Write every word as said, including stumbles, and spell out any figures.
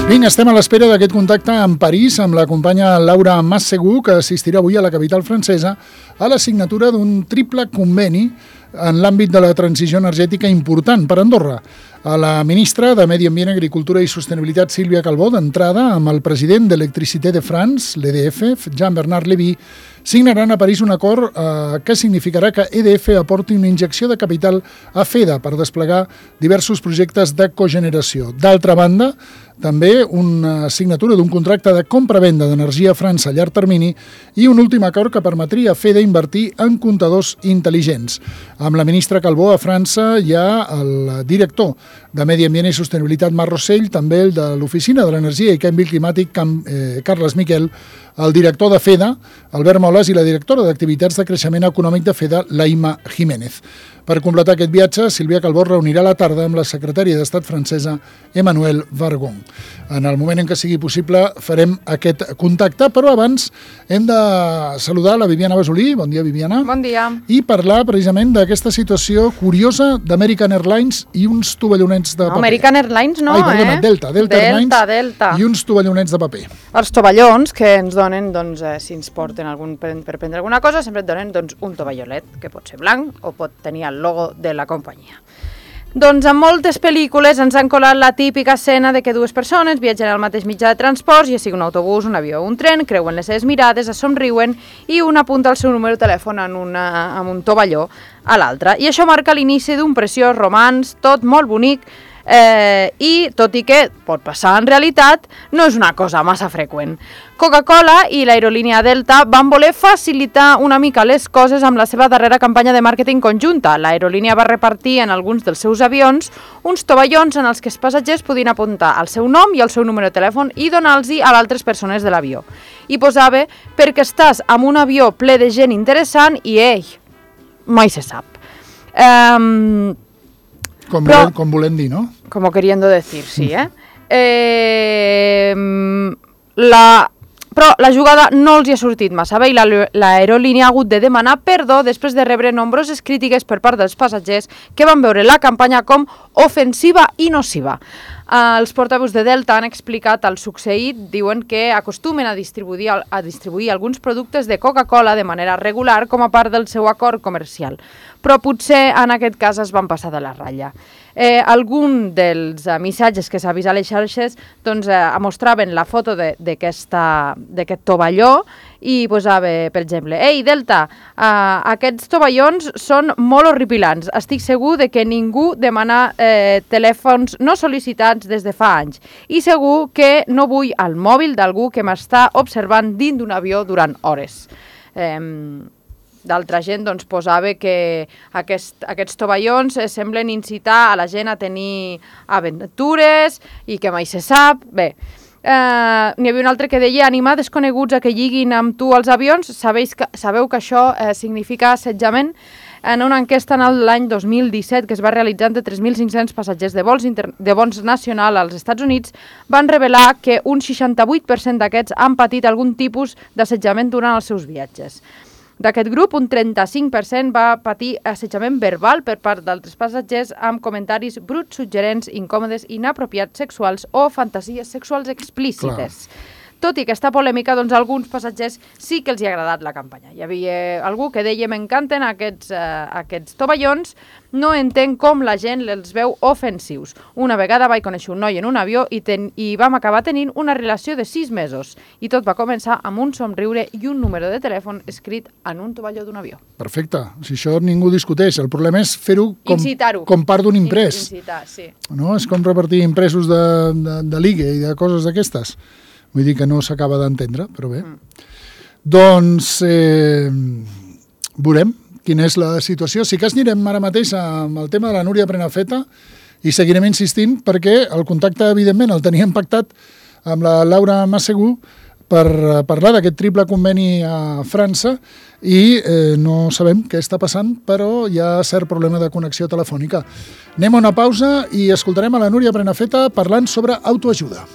Vinga, estem a l'espera d'aquest contacte amb París, amb la companya Laura Masseguh, que assistirà avui a la capital francesa a la signatura d'un triple conveni en l'àmbit de la transició energètica important per Andorra. A la ministra de Medi Ambient, Agricultura i Sostenibilitat, Sílvia Calbó, d'entrada amb el president d'Electricité de France, l'E D F, Jean-Bernard Lévy, signaran a París un acord eh, que significarà que E D F aporti una injecció de capital a FEDA per desplegar diversos projectes de cogeneració. D'altra banda, també una signatura d'un contracte de compra-venda d'energia a França a llarg termini i un últim acord que permetria a FEDA invertir en comptadors intel·ligents. Amb la ministra Calbó a França hi ha el director de Medi Ambient i Sostenibilitat, Marc Rossell, també el de l'Oficina de l'Energia i Canvi Climàtic, Cam, eh, Carles Miquel, el director de FEDA, Albert Moles, i la directora d'Activitats de Creixement Econòmic de FEDA, Laima Jiménez. Per completar aquest viatge, Sílvia Calbó reunirà a la tarda amb la secretària d'Estat francesa, Emmanuelle Vargon. En el moment en què sigui possible farem aquest contacte, però abans hem de saludar la Viviana Basolí. Bon dia, Viviana. Bon dia. I parlar precisament d'aquesta situació curiosa d'American Airlines i uns tovallonets de paper. American Airlines no, Ai, perdona, eh? Delta, Delta, Delta Airlines Delta. I uns tovallonets de paper. Els tovallons que ens donen, doncs, eh, si ens porten algun, per, per prendre alguna cosa, sempre et donen doncs, un tovallolet, que pot ser blanc o pot tenir el logo de la companyia. Doncs en moltes pel·lícules ens han colat la típica escena de que dues persones viatgen al mateix mitjà de transport, ja sigui un autobús, un avió o un tren, creuen les seves mirades, es somriuen i un apunta el seu número de telèfon en, una, en un tovalló a l'altre. I això marca l'inici d'un preciós romanç, tot molt bonic, Eh, i tot i que pot passar en realitat, no és una cosa massa freqüent. Coca-Cola i l'aerolínia Delta van voler facilitar una mica les coses amb la seva darrera campanya de màrqueting conjunta. L'aerolínia va repartir en alguns dels seus avions uns tovallons en els que els passatgers podien apuntar el seu nom i el seu número de telèfon i donar-los a altres persones de l'avió. I posava, perquè estàs amb un avió ple de gent interessant i, ei, mai se sap. Ehm... Um, Com, Però, volem, com volem dir, no? Como queriendo decir, sí, eh? eh la, però la jugada no els hi ha sortit massa bé i l'aerolínia ha hagut de demanar perdó després de rebre nombroses crítiques per part dels passatgers que van veure la campanya com ofensiva i nociva. Uh, els portaveus de Delta han explicat el succeït, diuen que acostumen a distribuir, a distribuir alguns productes de Coca-Cola de manera regular com a part del seu acord comercial, però potser en aquest cas es van passar de la ratlla. Eh, algun dels uh, missatges que s'ha vist a les xarxes doncs, eh, mostraven la foto d'aquest tovalló i posava, per exemple, «Ei, Delta, uh, aquests tovallons són molt horripilants. Estic segur de que ningú demana eh, telèfons no sol·licitats des de fa anys i segur que no vull el mòbil d'algú que m'està observant dins d'un avió durant hores». Eh, D'altra gent doncs, posava que aquest, aquests tovallons eh, semblen incitar a la gent a tenir aventures i que mai se sap. Bé, eh, n'hi havia un altre que deia animar desconeguts a que lliguin amb tu als avions. Sabeu que, sabeu que això eh, significa assetjament? En una enquesta en l'any dos mil disset que es va realitzar entre tres mil cinc-cents passatgers de vols, inter... de vols nacional als Estats Units van revelar que un seixanta-vuit per cent d'aquests han patit algun tipus d'assetjament durant els seus viatges. D'aquest grup, un trenta-cinc per cent va patir assetjament verbal per part d'altres passatgers amb comentaris bruts, suggerents, incòmodes, inapropiats sexuals o fantasies sexuals explícites. Clar. Tot i aquesta polèmica, doncs, a alguns passatgers sí que els hi ha agradat la campanya. Hi havia algú que deia «m'encanten aquests, uh, aquests tovallons, no entenc com la gent els veu ofensius. Una vegada vaig conèixer un noi en un avió i, ten i vam acabar tenint una relació de sis mesos. I tot va començar amb un somriure i un número de telèfon escrit en un tovalló d'un avió». Perfecte. Si això ningú discuteix. El problema és fer-ho com, com part d'un imprès. Incitar, sí. No? És com repartir impressos de, de, de ligue i de coses d'aquestes. Vull dir que no s'acaba d'entendre, però bé. Mm. Doncs eh, veurem quina és la situació. Sí que anirem ara mateix amb el tema de la Núria Prenafeta i seguirem insistint perquè el contacte, evidentment, el teníem pactat amb la Laura Masseguh per parlar d'aquest triple conveni a França i eh, no sabem què està passant, però hi ha cert problema de connexió telefònica. Anem a una pausa i escoltarem a la Núria Prenafeta parlant sobre autoajuda.